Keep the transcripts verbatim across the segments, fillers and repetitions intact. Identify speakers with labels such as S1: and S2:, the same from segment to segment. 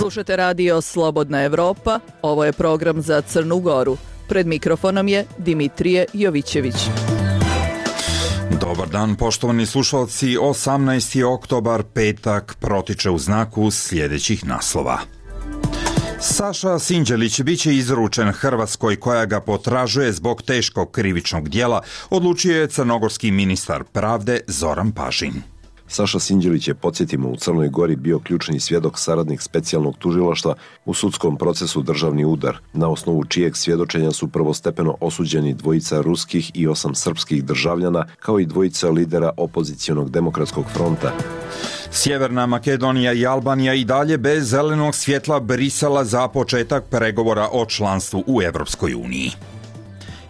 S1: Slušate radio Slobodna Evropa, ovo je program za Crnu Goru. Pred mikrofonom je Dimitrije Jovićević.
S2: Dobar dan, poštovani slušalci, osamnaesti oktobar, petak, protiče u znaku sljedećih naslova. Saša Sinđelić biće izručen Hrvatskoj koja ga potražuje zbog teškog krivičnog djela, odlučio je crnogorski ministar pravde Zoran Pažin.
S3: Saša Sinđelić je, podsjetimo, u Crnoj Gori bio ključni svjedok, saradnik specijalnog tužilaštva u sudskom procesu Državni udar, na osnovu čijeg svjedočenja su prvostepeno osuđeni dvojica ruskih i osam srpskih državljana, kao i dvojica lidera opozicionog demokratskog fronta.
S2: Sjeverna Makedonija i Albanija i dalje bez zelenog svjetla Brisela za početak pregovora o članstvu u Europskoj uniji.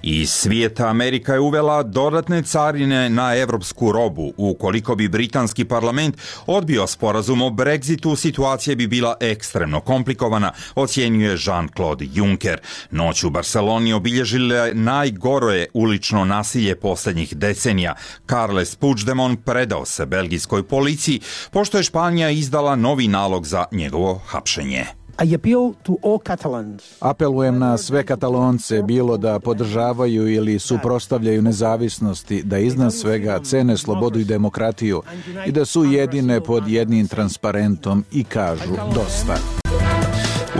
S2: Iz svijeta Amerika je uvela dodatne carine na evropsku robu. Ukoliko bi britanski parlament odbio sporazum o Brexitu, situacija bi bila ekstremno komplikovana, ocjenjuje Jean-Claude Juncker. Noć u Barceloni obilježile najgore ulično nasilje posljednjih decenija. Carles Puigdemont predao se belgijskoj policiji, pošto je Španija izdala novi nalog za njegovo hapšenje.
S4: Apelujem na sve Katalonce, bilo da podržavaju ili suprotstavljaju nezavisnosti, da iznad svega cene slobodu i demokratiju i da su jedine pod jednim transparentom i kažu dosta.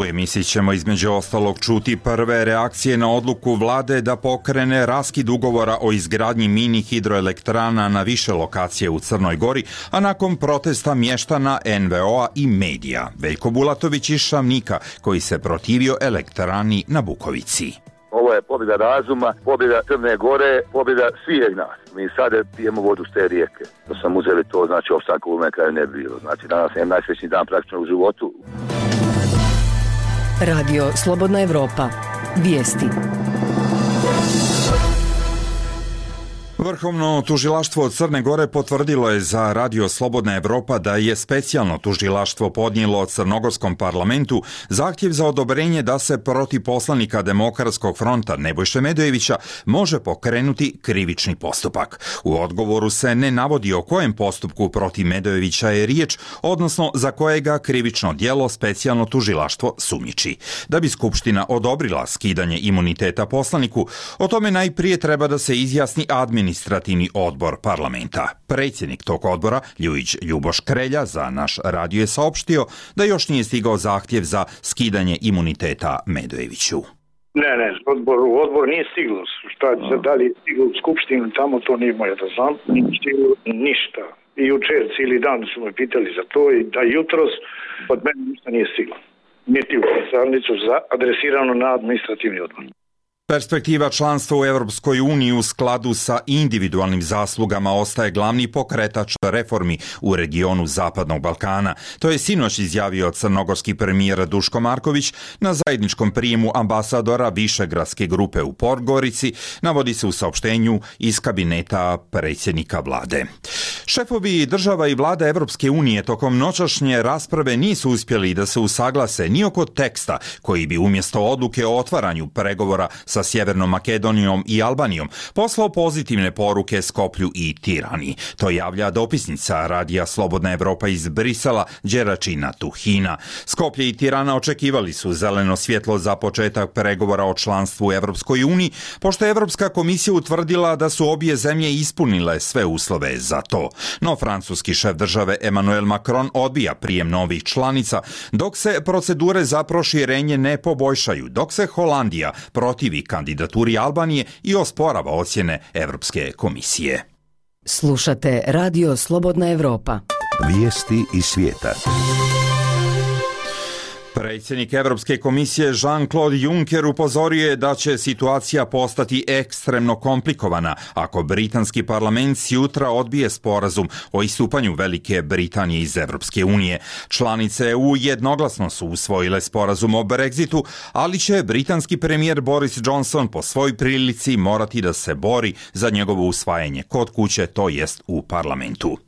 S2: U emisiji ćemo između ostalog čuti prve reakcije na odluku vlade da pokrene raskid ugovora o izgradnji mini hidroelektrana na više lokacije u Crnoj Gori, a nakon protesta mještana en ve o a i medija. Veljko Bulatović iz Šavnika, koji se protivio elektrani na Bukovici.
S5: Ovo je pobjeda razuma, pobjeda Crne Gore, pobjeda svih nas. Mi sada pijemo vodu s te rijeke. Da sam uzeli to, znači opstanku u kraju ne bi bilo. Znači danas je najsrećniji dan praktično u životu.
S6: Radio Slobodna Evropa. Vijesti.
S2: Vrhovno tužilaštvo Crne Gore potvrdilo je za Radio Slobodna Evropa da je specijalno tužilaštvo podnijelo Crnogorskom parlamentu zahtjev za odobrenje da se protiv poslanika Demokratskog fronta Nebojše Medojevića može pokrenuti krivični postupak. U odgovoru se ne navodi o kojem postupku protiv Medojevića je riječ, odnosno za kojega krivično djelo specijalno tužilaštvo sumnjiči. Da bi Skupština odobrila skidanje imuniteta poslaniku, o tome najprije treba da se izjasni administrativni administrativni odbor parlamenta. Predsjednik tog odbora, Ljujić Ljuboš Krelja, za naš radio je saopštio da još nije stigao zahtjev za skidanje imuniteta Medojeviću.
S7: Ne, ne, odbor, odbor nije stiglo. Šta se da li je stiglo u Skupštinu, tamo to nije moje da znam. Nije stiglo ništa. I jučer cijeli dan su me pitali za to i da jutros od mene ništa nije stiglo. Niti u pisarnicu adresirano na administrativni odbor.
S2: Perspektiva članstva u Europskoj uniji u skladu sa individualnim zaslugama ostaje glavni pokretač reformi u regionu Zapadnog Balkana. To je sinoć izjavio crnogorski premijer Duško Marković na zajedničkom prijemu ambasadora Višegradske grupe u Podgorici, navodi se u saopštenju iz kabineta predsjednika vlade. Šefovi država i vlada Europske unije tokom noćašnje rasprave nisu uspjeli da se usaglase ni oko teksta koji bi umjesto odluke o otvaranju pregovora sa Sjevernom Makedonijom i Albanijom poslao pozitivne poruke Skoplju i Tirani. To javlja dopisnica Radija Slobodna Evropa iz Brisela, Đeračina Tuhina. Skoplje i Tirana očekivali su zeleno svjetlo za početak pregovora o članstvu u Europskoj uniji, pošto je Europska komisija utvrdila da su obje zemlje ispunile sve uslove za to. No francuski šef države Emmanuel Macron odbija prijem novih članica, dok se procedure za proširenje ne poboljšaju, dok se Holandija protivi kandidaturi Albanije i osporava ocjene Europske komisije.
S6: Slušate Radio Slobodna Evropa.
S8: Vijesti iz svijeta.
S2: Predsjednik Europske komisije Jean-Claude Juncker upozorio je da će situacija postati ekstremno komplikovana ako britanski parlament sjutra odbije sporazum o istupanju Velike Britanije iz Europske unije. Članice E U jednoglasno su usvojile sporazum o Brexitu, ali će britanski premijer Boris Johnson po svoj prilici morati da se bori za njegovo usvajanje kod kuće, to jest u parlamentu.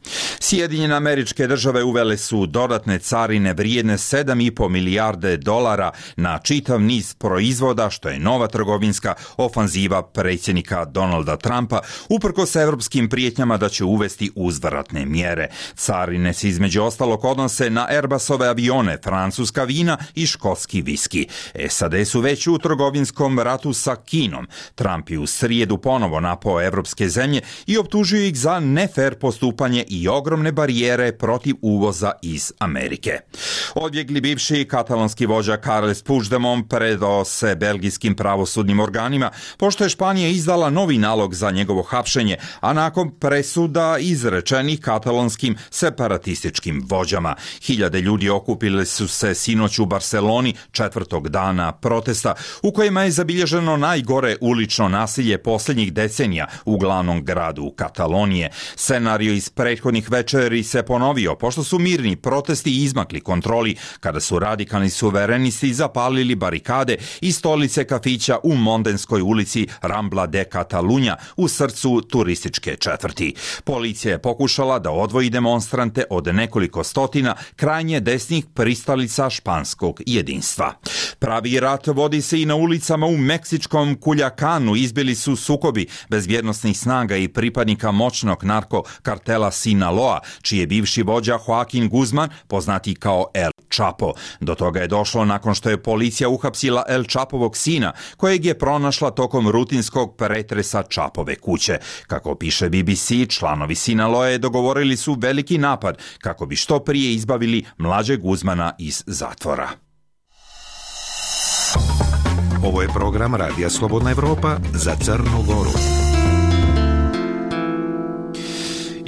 S2: Sjedinjene Američke Države uvele su dodatne carine vrijedne sedam i po milijardi milijarde dolara na čitav niz proizvoda, što je nova trgovinska ofanziva predsjednika Donalda Trumpa, uprkos evropskim prijetnjama da će uvesti uzvratne mjere. Carine se između ostalog odnose na Airbusove avione, francuska vina i škotski viski. S A D su već u trgovinskom ratu sa Kinom. Trump je u srijedu ponovo napao evropske zemlje i optužio ih za nefer postupanje i ogromne barijere protiv uvoza iz Amerike. Odbjegli bivši katalonski vođa Carles Puigdemont predao se belgijskim pravosudnim organima, pošto je Španija izdala novi nalog za njegovo hapšenje, a nakon presuda izrečenih katalonskim separatističkim vođama. Hiljade ljudi okupili su se sinoć u Barceloni četvrtog dana protesta, u kojima je zabilježeno najgore ulično nasilje posljednjih decenija u glavnom gradu Katalonije. Scenario iz prethodnih večeri se ponovio, pošto su mirni protesti izmakli kontroli, kada su radikalni suverenisti zapalili barikade i stolice kafića u Mondenskoj ulici Rambla de Catalunya u srcu turističke četvrti. Policija je pokušala da odvoji demonstrante od nekoliko stotina krajnje desnih pristalica španskog jedinstva. Pravi rat vodi se i na ulicama u meksičkom Culiacanu. Izbili su sukobi bezbjednosnih snaga i pripadnika moćnog narkokartela Sinaloa, čiji je bivši vođa Joaquin Guzman, poznati kao El Chapo. Do toga je došlo nakon što je policija uhapsila El Chapovog sina, kojeg je pronašla tokom rutinskog pretresa Chapove kuće. Kako piše B B C, članovi Sinaloe dogovorili su veliki napad kako bi što prije izbavili mlađeg Guzmana iz zatvora.
S8: Ovo je program Radija Slobodna Evropa za Crnu Goru.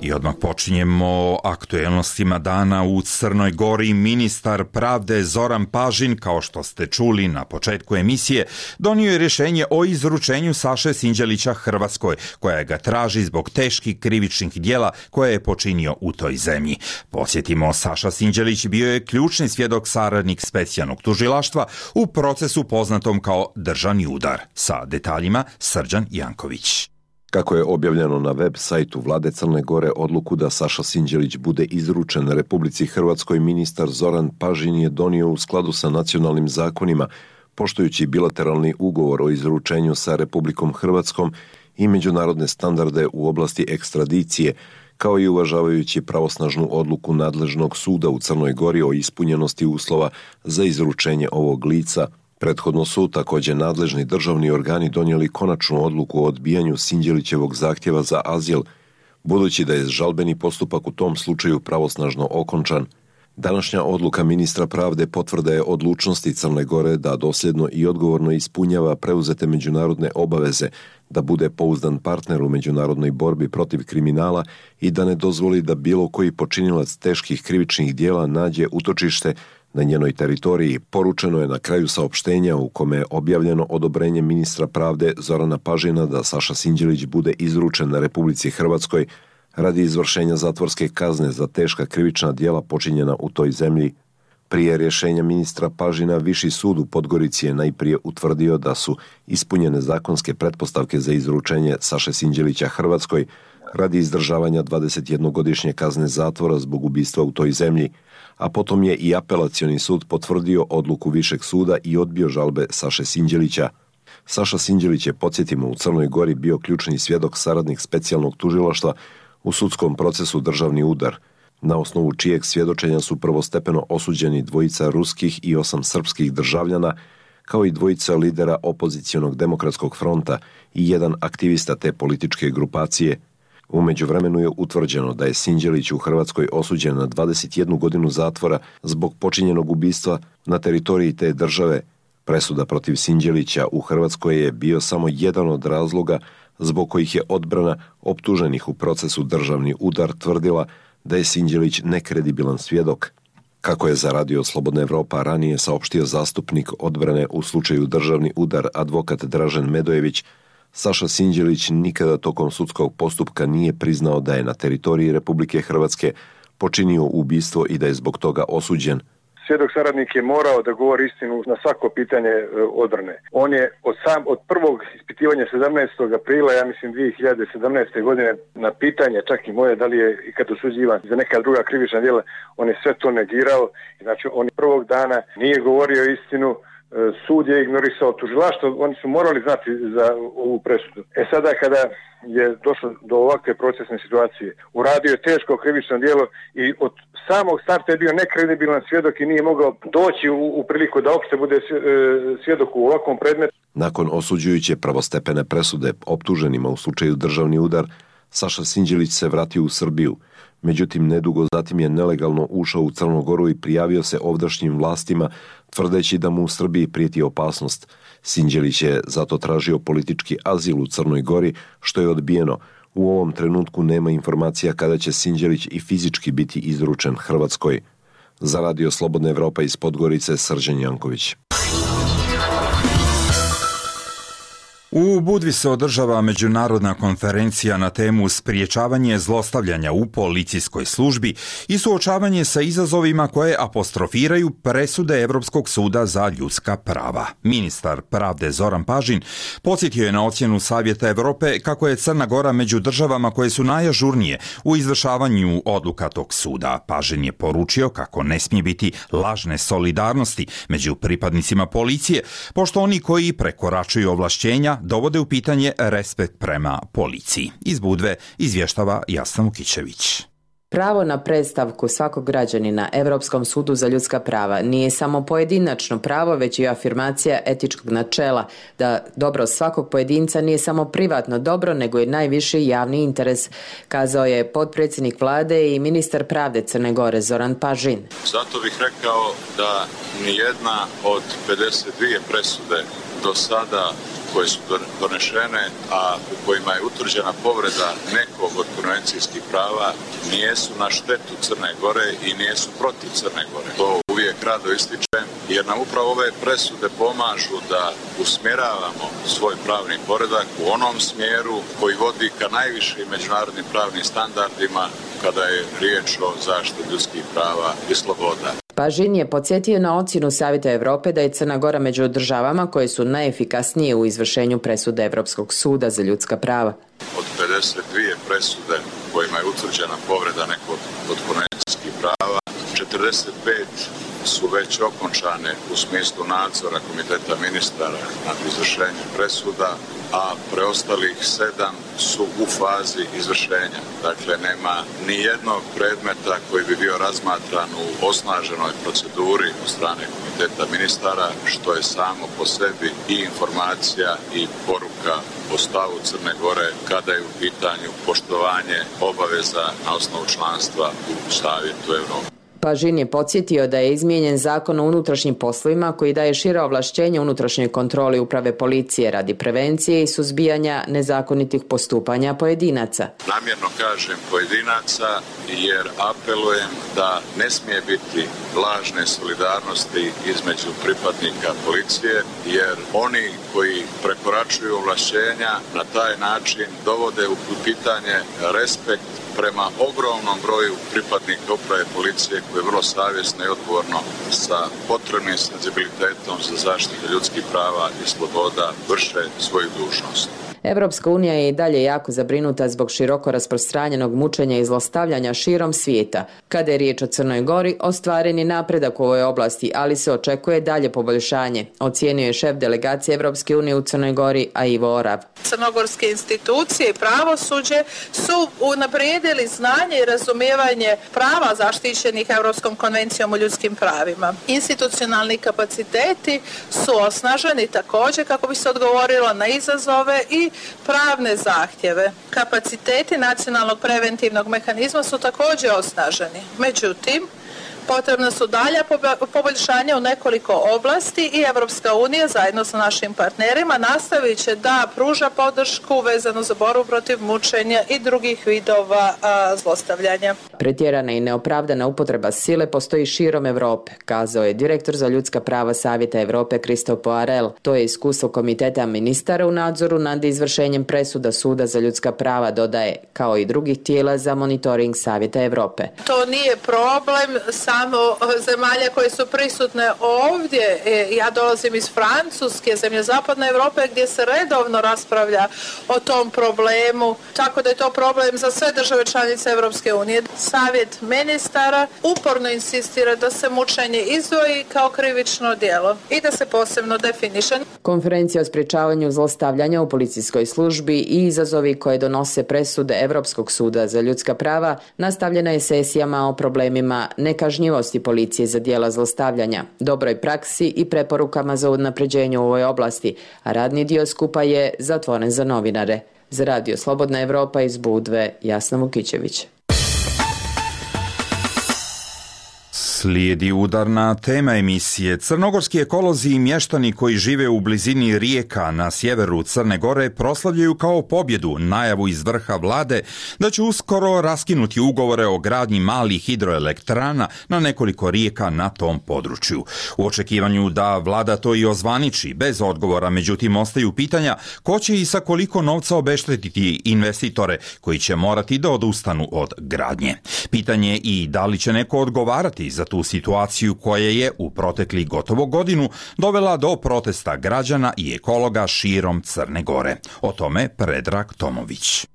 S2: I odmah počinjemo aktuelnostima dana u Crnoj Gori. Ministar pravde Zoran Pažin, kao što ste čuli na početku emisije, donio je rješenje o izručenju Saše Sinđelića Hrvatskoj, koja ga traži zbog teških krivičnih djela koje je počinio u toj zemlji. Podsjetimo, Saša Sinđelić bio je ključni svjedok, saradnik specijalnog tužilaštva u procesu poznatom kao državni udar. Sa detaljima Srđan Janković.
S3: Kako je objavljeno na web sajtu Vlade Crne Gore, odluku da Saša Sinđelić bude izručen Republici Hrvatskoj, ministar Zoran Pažin je donio u skladu sa nacionalnim zakonima, poštujući bilateralni ugovor o izručenju sa Republikom Hrvatskom i međunarodne standarde u oblasti ekstradicije, kao i uvažavajući pravosnažnu odluku nadležnog suda u Crnoj Gori o ispunjenosti uslova za izručenje ovog lica. Prethodno su također nadležni državni organi donijeli konačnu odluku o odbijanju Sinđelićevog zahtjeva za azil, budući da je žalbeni postupak u tom slučaju pravosnažno okončan. Današnja odluka ministra pravde potvrda je odlučnosti Crne Gore da dosljedno i odgovorno ispunjava preuzete međunarodne obaveze, da bude pouzdan partner u međunarodnoj borbi protiv kriminala i da ne dozvoli da bilo koji počinilac teških krivičnih djela nađe utočište na njenoj teritoriji. Poručeno je na kraju saopštenja u kome je objavljeno odobrenje ministra pravde Zorana Pažina da Saša Sinđelić bude izručen na Republici Hrvatskoj radi izvršenja zatvorske kazne za teška krivična djela počinjena u toj zemlji. Prije rješenja ministra Pažina, Viši sud u Podgorici je najprije utvrdio da su ispunjene zakonske pretpostavke za izručenje Saše Sinđelića Hrvatskoj radi izdržavanja dvadesetjednogodišnje kazne zatvora zbog ubistva u toj zemlji, a potom je i apelacioni sud potvrdio odluku Višeg suda i odbio žalbe Saše Sinđelića. Saša Sinđelić je, podsjetimo, u Crnoj Gori bio ključni svjedok, saradnik specijalnog tužilaštva u sudskom procesu državni udar, na osnovu čijeg svjedočenja su prvostepeno osuđeni dvojica ruskih i osam srpskih državljana, kao i dvojica lidera opozicionog demokratskog fronta i jedan aktivista te političke grupacije. U međuvremenu je utvrđeno da je Sinđelić u Hrvatskoj osuđen na dvadeset jednu godinu zatvora zbog počinjenog ubistva na teritoriji te države. Presuda protiv Sinđelića u Hrvatskoj je bio samo jedan od razloga zbog kojih je odbrana optuženih u procesu državni udar tvrdila da je Sinđelić nekredibilan svjedok. Kako je za Radio Slobodna Evropa ranije saopštio zastupnik odbrane u slučaju državni udar advokat Dražen Medojević, Saša Sinđelić nikada tokom sudskog postupka nije priznao da je na teritoriji Republike Hrvatske počinio ubistvo i da je zbog toga osuđen.
S9: svjedok saradnik je morao da govori istinu na svako pitanje odbrane. On je od sam od prvog ispitivanja sedamnaestog aprila, ja mislim dvije hiljade sedamnaeste godine, na pitanje, čak i moje, da li je ikad osuđivan za neka druga krivična djela, on je sve to negirao. Znači, on prvog dana nije govorio istinu, sud je ignorisao tužilaštvo, oni su morali znati za ovu presudu. E sada kada je došlo do ovakve procesne situacije, uradio je teško krivično djelo i od samog starta je bio nekredibilan svjedok i nije mogao doći u, u priliku da uopšte bude svjedok u ovakvom predmetu.
S3: Nakon osuđujuće prvostepene presude optuženima u slučaju državni udar, Saša Sinđelić se vratio u Srbiju. Međutim, nedugo zatim je nelegalno ušao u Crnu Goru i prijavio se ovdašnjim vlastima, tvrdeći da mu u Srbiji prijeti opasnost. Sinđelić je zato tražio politički azil u Crnoj Gori, što je odbijeno. U ovom trenutku nema informacija kada će Sinđelić i fizički biti izručen Hrvatskoj. Za Radio Slobodna Evropa iz Podgorice, Srđan Janković.
S2: U Budvi se održava međunarodna konferencija na temu spriječavanje zlostavljanja u policijskoj službi i suočavanje sa izazovima koje apostrofiraju presude Evropskog suda za ljudska prava. Ministar pravde Zoran Pažin podsjetio je na ocjenu Savjeta Evrope kako je Crna Gora među državama koje su najažurnije u izvršavanju odluka tog suda. Pažin je poručio kako ne smije biti lažne solidarnosti među pripadnicima policije, pošto oni koji prekoračuju ovlašćenja dovode u pitanje respekt prema policiji. Iz Budve izvještava Jasna Vukićević.
S10: Pravo na predstavku svakog građanina Europskom sudu za ljudska prava nije samo pojedinačno pravo, već i afirmacija etičkog načela da dobro svakog pojedinca nije samo privatno dobro, nego i najviši javni interes, kazao je potpredsjednik vlade i ministar pravde Crne Gore Zoran Pažin.
S11: Zato bih rekao da nijedna od pedeset dvije presude do sada koje su donešene, a u kojima je utvrđena povreda nekog od konvencijskih prava, nijesu na štetu Crne Gore i nijesu protiv Crne Gore. To uvijek rado ističem, jer nam upravo ove presude pomažu da usmjeravamo svoj pravni poredak u onom smjeru koji vodi ka najvišim međunarodnim pravnim standardima kada je riječ o zaštiti ljudskih prava i sloboda.
S10: Pažin je podsjetio na ocjenu Savjeta Evrope da je Crna Gora među državama koje su najefikasnije u izvršenju presude Evropskog suda za ljudska prava.
S11: Od pedeset dvije presude kojima je utvrđena povreda nekog od konvencijskih prava, četrdeset pet su već okončane u smislu nadzora Komiteta ministara nad izvršenjem presuda, a preostalih sedam su u fazi izvršenja. Dakle, nema ni jednog predmeta koji bi bio razmatran u osnaženoj proceduri od strane Komiteta ministara, što je samo po sebi i informacija i poruka o stavu Crne Gore kada je u pitanju poštovanje obaveza na osnovu članstva u Savjetu Evrope.
S10: Pažin je podsjetio da je izmijenjen zakon o unutrašnjim poslovima koji daje šira ovlašćenja unutrašnjoj kontroli uprave policije radi prevencije i suzbijanja nezakonitih postupanja pojedinaca.
S11: Namjerno kažem pojedinaca jer apelujem da ne smije biti lažne solidarnosti između pripadnika policije, jer oni koji prekoračuju ovlašćenja na taj način dovode u pitanje respekt prema ogromnom broju pripadnika uprave policije koji vrlo savjesno i odgovorno sa potrebnim senzibilitetom za zaštitu ljudskih prava i sloboda vrše svoju dužnost.
S10: Evropska unija je i dalje jako zabrinuta zbog široko rasprostranjenog mučenja i zlostavljanja širom svijeta. Kada je riječ o Crnoj Gori, ostvaren je napredak u ovoj oblasti, ali se očekuje dalje poboljšanje, ocijenio je šef delegacije Evropske unije u Crnoj Gori, a Ivo Orav.
S12: Crnogorske institucije i pravosuđe su unaprijedili znanje i razumijevanje prava zaštićenih Europskom konvencijom o ljudskim pravima. Institucionalni kapaciteti su osnaženi također kako bi se odgovorilo na izazove i pravne zahtjeve. Kapaciteti nacionalnog preventivnog mehanizma su također osnaženi. Međutim, potrebna su dalja poboljšanja u nekoliko oblasti i Evropska unija zajedno sa našim partnerima nastavit će da pruža podršku vezano za borbu protiv mučenja i drugih vidova a, zlostavljanja.
S10: Pretjerana i neopravdana upotreba sile postoji širom Europe, kazao je direktor za ljudska prava Savjeta Europe Christophe Poirel. To je iskustvo Komiteta ministara u nadzoru nad izvršenjem presuda Suda za ljudska prava, dodaje, kao i drugih tijela za monitoring Savjeta Europe.
S12: To nije problem sa Imamo zemalje koje su prisutne ovdje. Ja dolazim iz Francuske, zemlje zapadne Europe, gdje se redovno raspravlja o tom problemu, tako da je to problem za sve države članice Europske unije. Savjet ministara uporno insistira da se mučenje izdvoji kao krivično djelo i da se posebno definiše.
S10: Konferencija o sprječavanju zlostavljanja u policijskoj službi i izazovi koje donose presude Europskog suda za ljudska prava nastavljena je sesijama o problemima nekažnjivosti policije za djela zlostavljanja, dobroj praksi i preporukama za unapređenje u ovoj oblasti, a radni dio skupa je zatvoren za novinare. Za Radio Slobodna Evropa iz Budve, Jasna Vukićević.
S2: Slijedi udarna tema emisije. Crnogorski ekolozi i mještani koji žive u blizini rijeka na sjeveru Crne Gore proslavljaju kao pobjedu najavu iz vrha vlade da će uskoro raskinuti ugovore o gradnji malih hidroelektrana na nekoliko rijeka na tom području. U očekivanju da vlada to i ozvaniči, bez odgovora, međutim ostaju pitanja ko će i sa koliko novca obeštetiti investitore koji će morati da odustanu od gradnje. Pitanje je i da li će neko odgovarati za tu situaciju koja je u protekli gotovo godinu dovela do protesta građana i ekologa širom Crne Gore. O tome Predrag Tomović.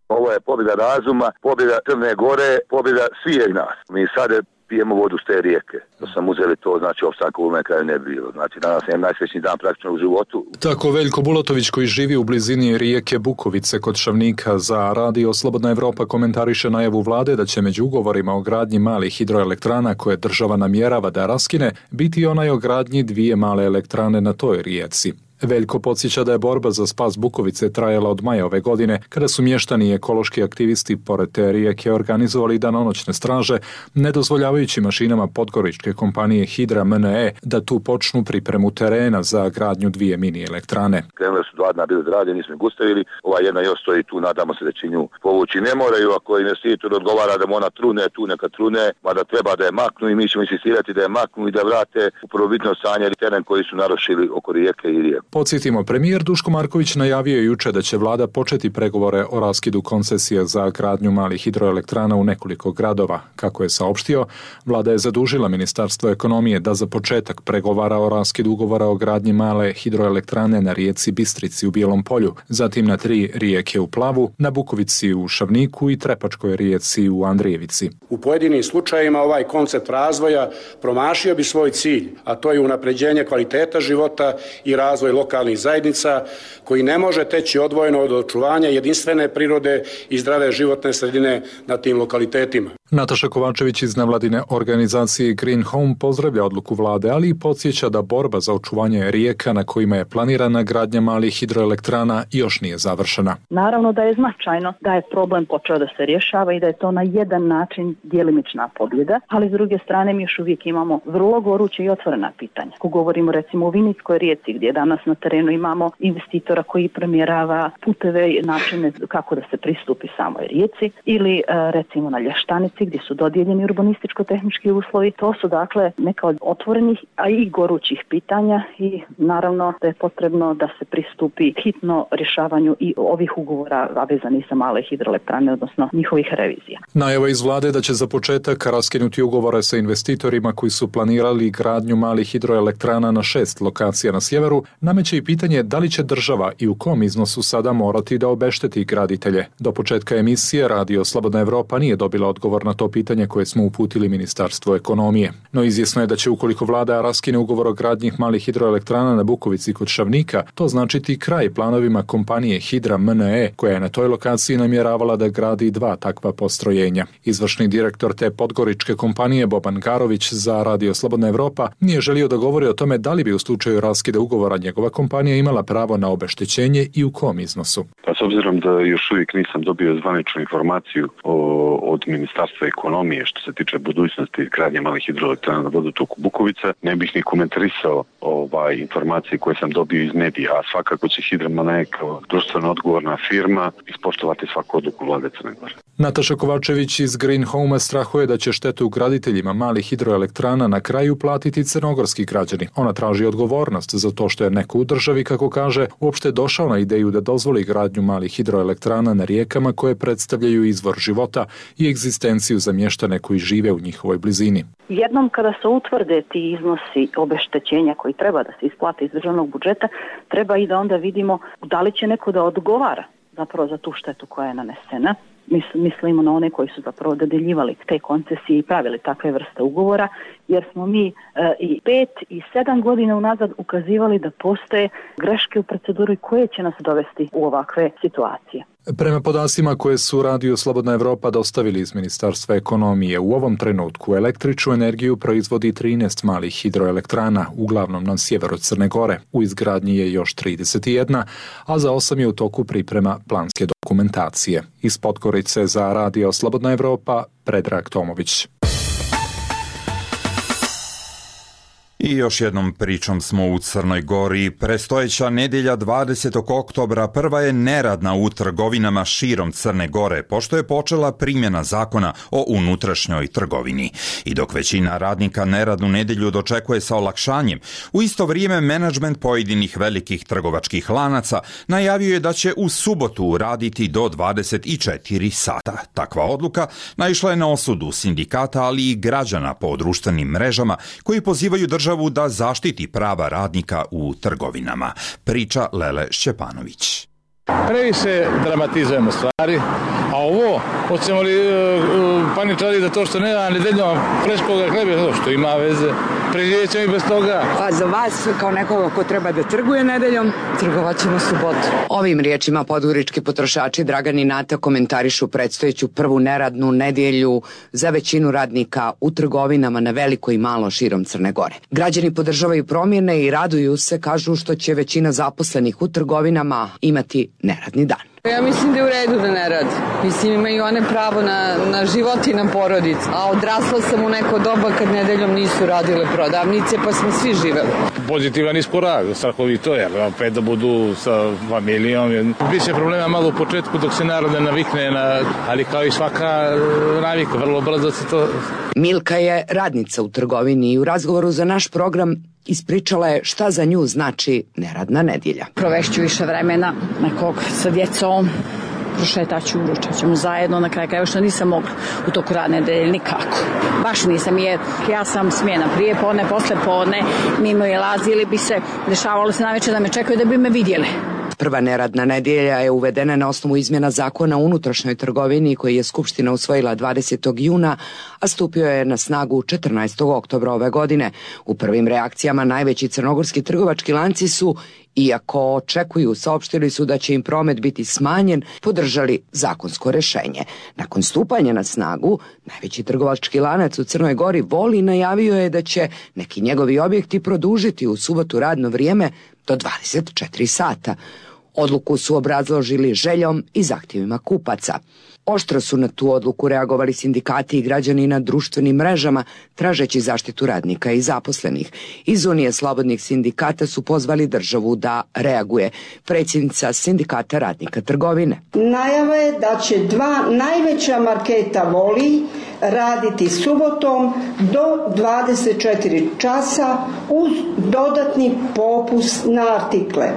S5: Ovo je pobjeda razuma, pobjeda Crne Gore, pobjeda svih nas. Mi sad pijemo vodu s te rijeke. Da sam uzeli to, znači opstanka u ovome kraju ne bi bilo. Znači danas je najsrećniji dan praktično u životu.
S13: Tako Veljko Bulatović, koji živi u blizini rijeke Bukovice kod Šavnika, za Radio Slobodna Evropa komentariše najavu vlade da će među ugovorima o gradnji malih hidroelektrana koje država namjerava da raskine biti onaj o gradnji dvije male elektrane na toj rijeci. Veljko podsjeća da je borba za spas Bukovice trajala od maja ove godine, kada su mještani i ekološki aktivisti pored te rijeke organizovali danonoćne straže, ne dozvoljavajući mašinama podgoričke kompanije Hidra M N E da tu počnu pripremu terena za gradnju dvije mini elektrane.
S5: Krenule su dva dna bili zgrade, nismo ih gustavili, ova jedna još stoji tu, nadamo se da će nju povući. Ne moraju, ako investitor odgovara da mu ona trune, tu neka trune, mada treba da je maknu i mi ćemo insistirati da je maknu i da vrate u prvobitno stanje teren koji su narušili oko rijeke i rijeku.
S13: Podsjetimo, premijer Duško Marković najavio je juče da će vlada početi pregovore o raskidu koncesije za gradnju malih hidroelektrana u nekoliko gradova. Kako je saopštio, vlada je zadužila Ministarstvo ekonomije da za početak pregovara o raskidu ugovora o gradnji male hidroelektrane na rijeci Bistrici u Bijelom Polju, zatim na tri rijeke u Plavu, na Bukovici u Šavniku i Trepačkoj rijeci u Andrijevici.
S14: U pojedinim slučajevima ovaj koncept razvoja promašio bi svoj cilj, a to je unapređenje kvaliteta života i razvoj lokalnih zajednica koji ne može teći odvojeno od očuvanja jedinstvene prirode i zdrave životne sredine na tim lokalitetima.
S13: Nataša Kovačević iz nevladine organizacije Green Home pozdravlja odluku vlade, ali i podsjeća da borba za očuvanje rijeka na kojima je planirana gradnja malih hidroelektrana još nije završena.
S15: Naravno da je značajno da je problem počeo da se rješava i da je to na jedan način djelimična pobjeda, ali s druge strane mi još uvijek imamo vrlo goruće i otvorena pitanja. Ako govorimo recimo o Vinickoj rijeci gdje danas na terenu imamo investitora koji premjerava puteve i načine kako da se pristupi samoj rijeci, ili recimo na Lještanici gdje su dodijeljeni urbanističko-tehnički uslovi. To su dakle neka od otvorenih, a i gorućih pitanja i naravno da je potrebno da se pristupi hitno rješavanju i ovih ugovora, a vezanih za male hidroelektrane, odnosno njihovih revizija.
S13: Najava iz vlade da će za početak raskinuti ugovore sa investitorima koji su planirali gradnju malih hidroelektrana na šest lokacija na sjeveru, nameće i pitanje da li će država i u kom iznosu sada morati da obešteti graditelje. Do početka emisije Radio Slobodna Evropa nije dobila odgovor na to pitanje koje smo uputili Ministarstvu ekonomije. No izvjesno je da će ukoliko vlada raskine ugovor o gradnji malih hidroelektrana na Bukovici kod Šavnika, to značiti kraj planovima kompanije Hidra M N E, koja je na toj lokaciji namjeravala da gradi dva takva postrojenja. Izvršni direktor te podgoričke kompanije Boban Garović za Radio Slobodna Evropa nije želio da govori o tome da li bi u slučaju raskida ugovora njegova kompanija imala pravo na obeštećenje i u kom iznosu.
S16: Pa s obzirom da još uvijek nisam dobio zvaničnu informaciju o, od Ministarstva ekonomije što se tiče budućnosti gradnje malih hidroelektrana na vodotoku Bukovica, ne bih ni komentarisao ovaj informacije koje sam dobio iz medija, a svakako će Hidra M N E kao društveno odgovorna firma ispoštovati svaku odluku vlade Crne Gore.
S13: Nataša Kovačević iz Green Home strahuje da će štetu graditeljima malih hidroelektrana na kraju platiti crnogorski građani. Ona traži odgovornost za to što je neko u državi, kako kaže, uopšte došao na ideju da dozvoli gradnju malih hidroelektrana na rijekama koje predstavljaju izvor života i egzistenciju za mještane koji žive u njihovoj blizini.
S15: Jednom kada se utvrde ti iznosi obeštećenja koji treba da se isplate iz državnog budžeta, treba i da onda vidimo da li će neko da odgovara zapravo za tu štetu koja je nanesena. Mislimo na one koji su zapravo dodeljivali te koncesije i pravili takve vrste ugovora, jer smo mi e, i pet i sedam godina unazad ukazivali da postoje greške u proceduri koje će nas dovesti u ovakve situacije.
S13: Prema podacima koje su Radio Slobodna Evropa dostavili iz Ministarstva ekonomije, u ovom trenutku električnu energiju proizvodi trinaest malih hidroelektrana, uglavnom na sjeveru Crne Gore. U izgradnji je još trideset jedna, a za osam je u toku priprema planske dokumentacije. Iz Podgorice za Radio Slobodna Evropa, Predrag Tomović.
S2: I još jednom pričom smo u Crnoj Gori. Prestojeća nedjelja dvadesetog oktobra prva je neradna u trgovinama širom Crne Gore, pošto je počela primjena zakona o unutrašnjoj trgovini. I dok većina radnika neradnu nedjelju dočekuje sa olakšanjem, u isto vrijeme menadžment pojedinih velikih trgovačkih lanaca najavio je da će u subotu raditi do dvadeset četiri sata. Takva odluka naišla je na osudu sindikata, ali i građana po društvenim mrežama koji pozivaju državu da zaštiti prava radnika u trgovinama. Priča Lele Šćepanović.
S17: Previše dramatizujemo stvari, a ovo, hoćemo li uh, paničari za to što nema nedeljom freškoga hleba, što ima veze, preživjet ćemo i bez toga.
S18: A za vas, kao nekoga ko treba da trguje nedeljom, trgovat ćemo subotu.
S6: Ovim riječima podgorički potrošači Dragan i Nata komentarišu predstojeću prvu neradnu nedjelju za većinu radnika u trgovinama na veliko i malo širom Crne Gore. Građani podržavaju promjene i raduju se, kažu, što će većina zaposlenih u trgovinama imati neradni dan.
S18: Ja mislim da je u redu da ne radi. Mislim, imaju one pravo na, na život i na porodicu. A odrasla sam u neko doba kad nedeljom nisu radile prodavnice, pa smo svi živeli.
S17: Pozitivan iskorak, strahovito je, opet da budu sa familijom. Biće problema malo u početku dok se narod ne navikne, na, ali kao i svaka navika, vrlo brzo se to...
S6: Milka je radnica u trgovini i u razgovoru za naš program ispričala je šta za nju znači neradna nedjelja.
S19: Provešću više vremena nekog sa djecom, prošetaću, ručat ćemo zajedno, na kraju krajeva što nisam mogla u toku radne nedelje nikako. Baš nisam, jer ja sam smjena prije podne, posle podne, mimo je lazili bi se, dešavalo se navečer da me čekaju da bi me vidjeli.
S6: Prva neradna nedjelja je uvedena na osnovu izmjena zakona o unutrašnjoj trgovini koji je Skupština usvojila dvadesetog juna, a stupio je na snagu četrnaestog oktobra ove godine. U prvim reakcijama najveći crnogorski trgovački lanci su, iako očekuju, saopštili su da će im promet biti smanjen, podržali zakonsko rješenje. Nakon stupanja na snagu, najveći trgovački lanac u Crnoj Gori Voli najavio je da će neki njegovi objekti produžiti u subotu radno vrijeme do dvadeset četiri sata. Odluku su obrazložili željom i zahtjevima kupaca. Oštro su na tu odluku reagovali sindikati i građani na društvenim mrežama, tražeći zaštitu radnika i zaposlenih. Iz Unije slobodnih sindikata su pozvali državu da reaguje. Predsjednica sindikata radnika trgovine.
S20: Najava je da će dva najveća marketa Voli raditi subotom do dvadeset četiri časa uz dodatni popust na artikle.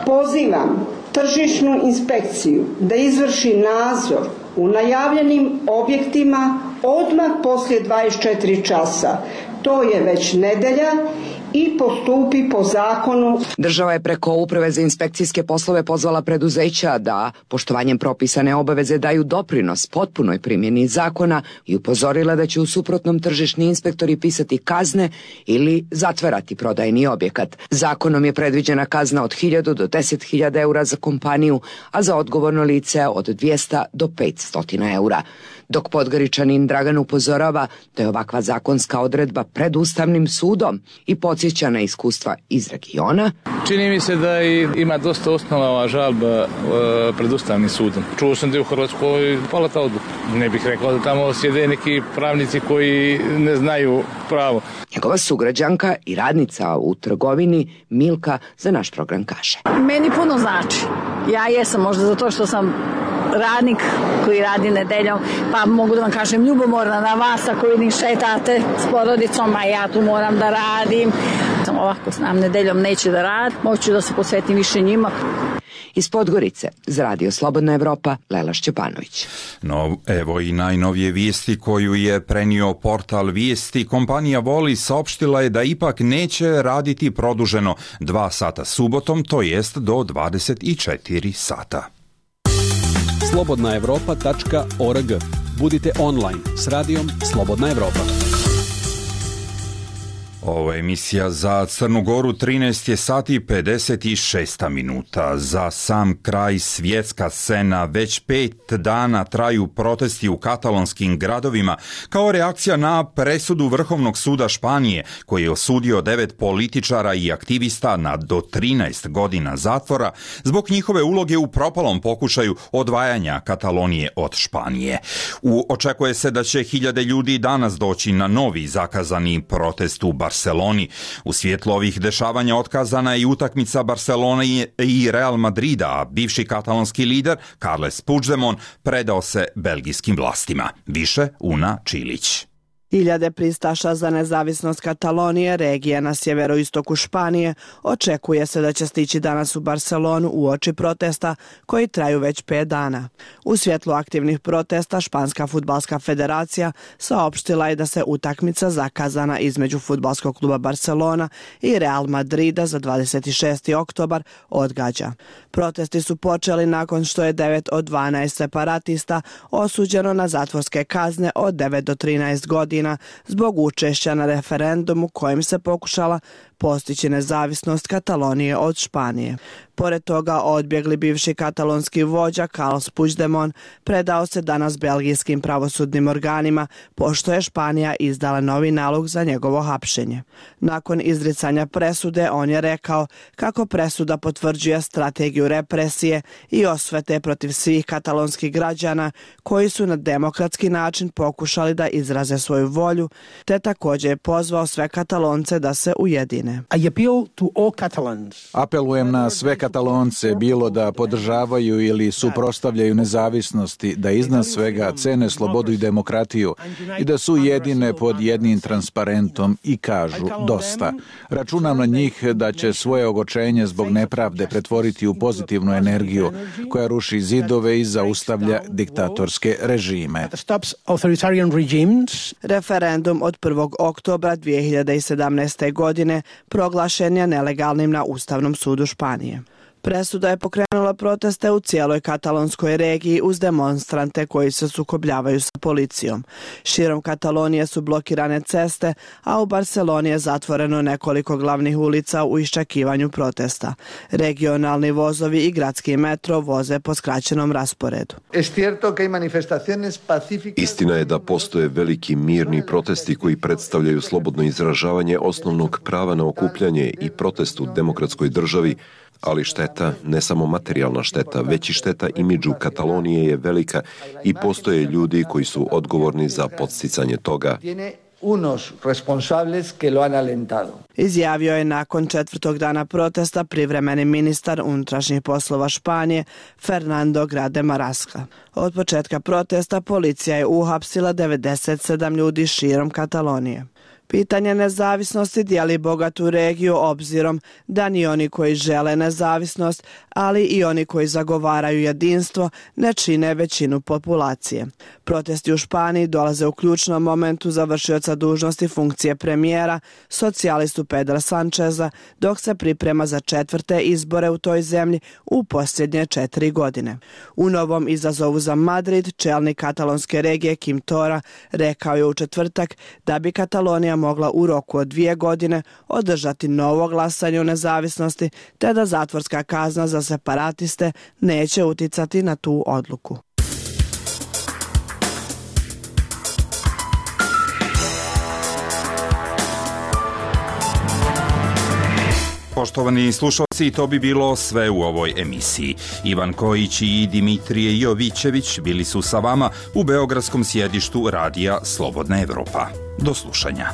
S20: Pozivam tržišnu inspekciju da izvrši nadzor u najavljenim objektima odmah poslije dvadeset četiri časa. To je već nedjelja i postupi po zakonu.
S6: Država je preko Uprave za inspekcijske poslove pozvala preduzeća da poštovanjem propisane obaveze daju doprinos potpunoj primjeni zakona i upozorila da će u suprotnom tržišni inspektori pisati kazne ili zatvarati prodajni objekat. Zakonom je predviđena kazna od hiljadu do deset hiljada eura za kompaniju, a za odgovorno lice od dvjesto do petsto eura. Dok Podgoričanin Dragan upozorava da je ovakva zakonska odredba pred Ustavnim sudom i podsjeća na iskustva iz regiona.
S17: Čini mi se da ima dosta osnova ova žalba pred Ustavnim sudom. Čuo sam da je u Hrvatskoj pala ta odluka. Ne bih rekao da tamo sjede neki pravnici koji ne znaju pravo.
S6: Njegova sugrađanka i radnica u trgovini Milka za naš program kaže.
S19: Meni puno znači. Ja jesam možda zato što sam radnik koji radi nedeljom, pa mogu da vam kažem ljubomorna na vas ako vidim šetate s porodicom, a ja tu moram da radim. Ovako znam, nedeljom neće da radi, moću da se posvetim više njima.
S6: Iz Podgorice, za Radio Slobodna Evropa, Lela Šćepanović.
S2: No, evo i najnovije vijesti koju je prenio portal Vijesti. Kompanija Voli saopštila je da ipak neće raditi produženo dva sata subotom, to jest do dvadeset četiri sata.
S21: slobodna evropa tačka org. Budite online s radijom Slobodna Evropa.
S2: Ovo je emisija za Crnu Goru, trinaest je sati pedeset šest minuta. Za sam kraj svjetska scena, već pet dana traju protesti u katalonskim gradovima kao reakcija na presudu Vrhovnog suda Španije koji je osudio devet političara i aktivista na do trinaest godina zatvora zbog njihove uloge u propalom pokušaju odvajanja Katalonije od Španije. U, očekuje se da će hiljade ljudi danas doći na novi zakazani protest u Barceloni. U svjetlu ovih dešavanja otkazana je i utakmica Barcelone i Real Madrida, a bivši katalonski lider Carles Puigdemont predao se belgijskim vlastima. Više Una Čilić.
S22: Hiljade pristaša za nezavisnost Katalonije, regije na sjeveroistoku Španije, očekuje se da će stići danas u Barcelonu uoči protesta koji traju već pet dana. U svjetlu aktivnih protesta Španska fudbalska federacija saopštila je da se utakmica zakazana između fudbalskog kluba Barcelona i Real Madrida za dvadeset šesti oktobar odgađa. Protesti su počeli nakon što je devet od dvanaest separatista osuđeno na zatvorske kazne od devet do trinaest godina zbog učešća na referendumu kojim se pokušala postići nezavisnost Katalonije od Španije. Pored toga, odbjegli bivši katalonski vođa Carles Puigdemont predao se danas belgijskim pravosudnim organima, pošto je Španija izdala novi nalog za njegovo hapšenje. Nakon izricanja presude, on je rekao kako presuda potvrđuje strategiju represije i osvete protiv svih katalonskih građana koji su na demokratski način pokušali da izraze svoju volju, te također je pozvao sve Katalonce da se ujedine.
S4: Apelujem na sve Katalonce, bilo da podržavaju ili suprotstavljaju nezavisnosti, da iznad svega cene slobodu i demokratiju i da su jedine pod jednim transparentom i kažu dosta. Računam na njih da će svoje ogorčenje zbog nepravde pretvoriti u pozitivnu energiju koja ruši zidove i zaustavlja diktatorske režime.
S22: Referendum od prvog oktobra dvije hiljade sedamnaeste. godine proglašen je nelegalnim na Ustavnom sudu Španije. Presuda je pokrenula proteste u cijeloj katalonskoj regiji uz demonstrante koji se sukobljavaju sa policijom. Širom Katalonije su blokirane ceste, a u Barceloni je zatvoreno nekoliko glavnih ulica u iščekivanju protesta. Regionalni vozovi i gradski metro voze po skraćenom rasporedu.
S3: Istina je da postoje veliki mirni protesti koji predstavljaju slobodno izražavanje osnovnog prava na okupljanje i protest u demokratskoj državi, ali šteta, ne samo materijalna šteta, već i šteta imidžu Katalonije je velika i postoje ljudi koji su odgovorni za podsticanje toga.
S22: Izjavio je nakon četvrtog dana protesta privremeni ministar unutrašnjih poslova Španije Fernando Grande Marlaska. Od početka protesta policija je uhapsila devedeset sedam ljudi širom Katalonije. Pitanje nezavisnosti dijeli bogatu regiju obzirom da ni oni koji žele nezavisnost, ali i oni koji zagovaraju jedinstvo ne čine većinu populacije. Protesti u Španiji dolaze u ključnom momentu za vršioca dužnosti funkcije premijera, socijalistu Pedra Sancheza, dok se priprema za četvrte izbore u toj zemlji u posljednje četiri godine. U novom izazovu za Madrid, čelnik katalonske regije Quim Torra rekao je u četvrtak da bi Katalonija mogla u roku od dvije godine održati novo glasanje o nezavisnosti, te da zatvorska kazna za separatiste neće uticati na tu odluku.
S2: Poštovani slušalci, to bi bilo sve u ovoj emisiji. Ivan Kojić i Dimitrije Jovićević bili su sa vama u beogradskom sjedištu radija Slobodna Evropa. Do slušanja.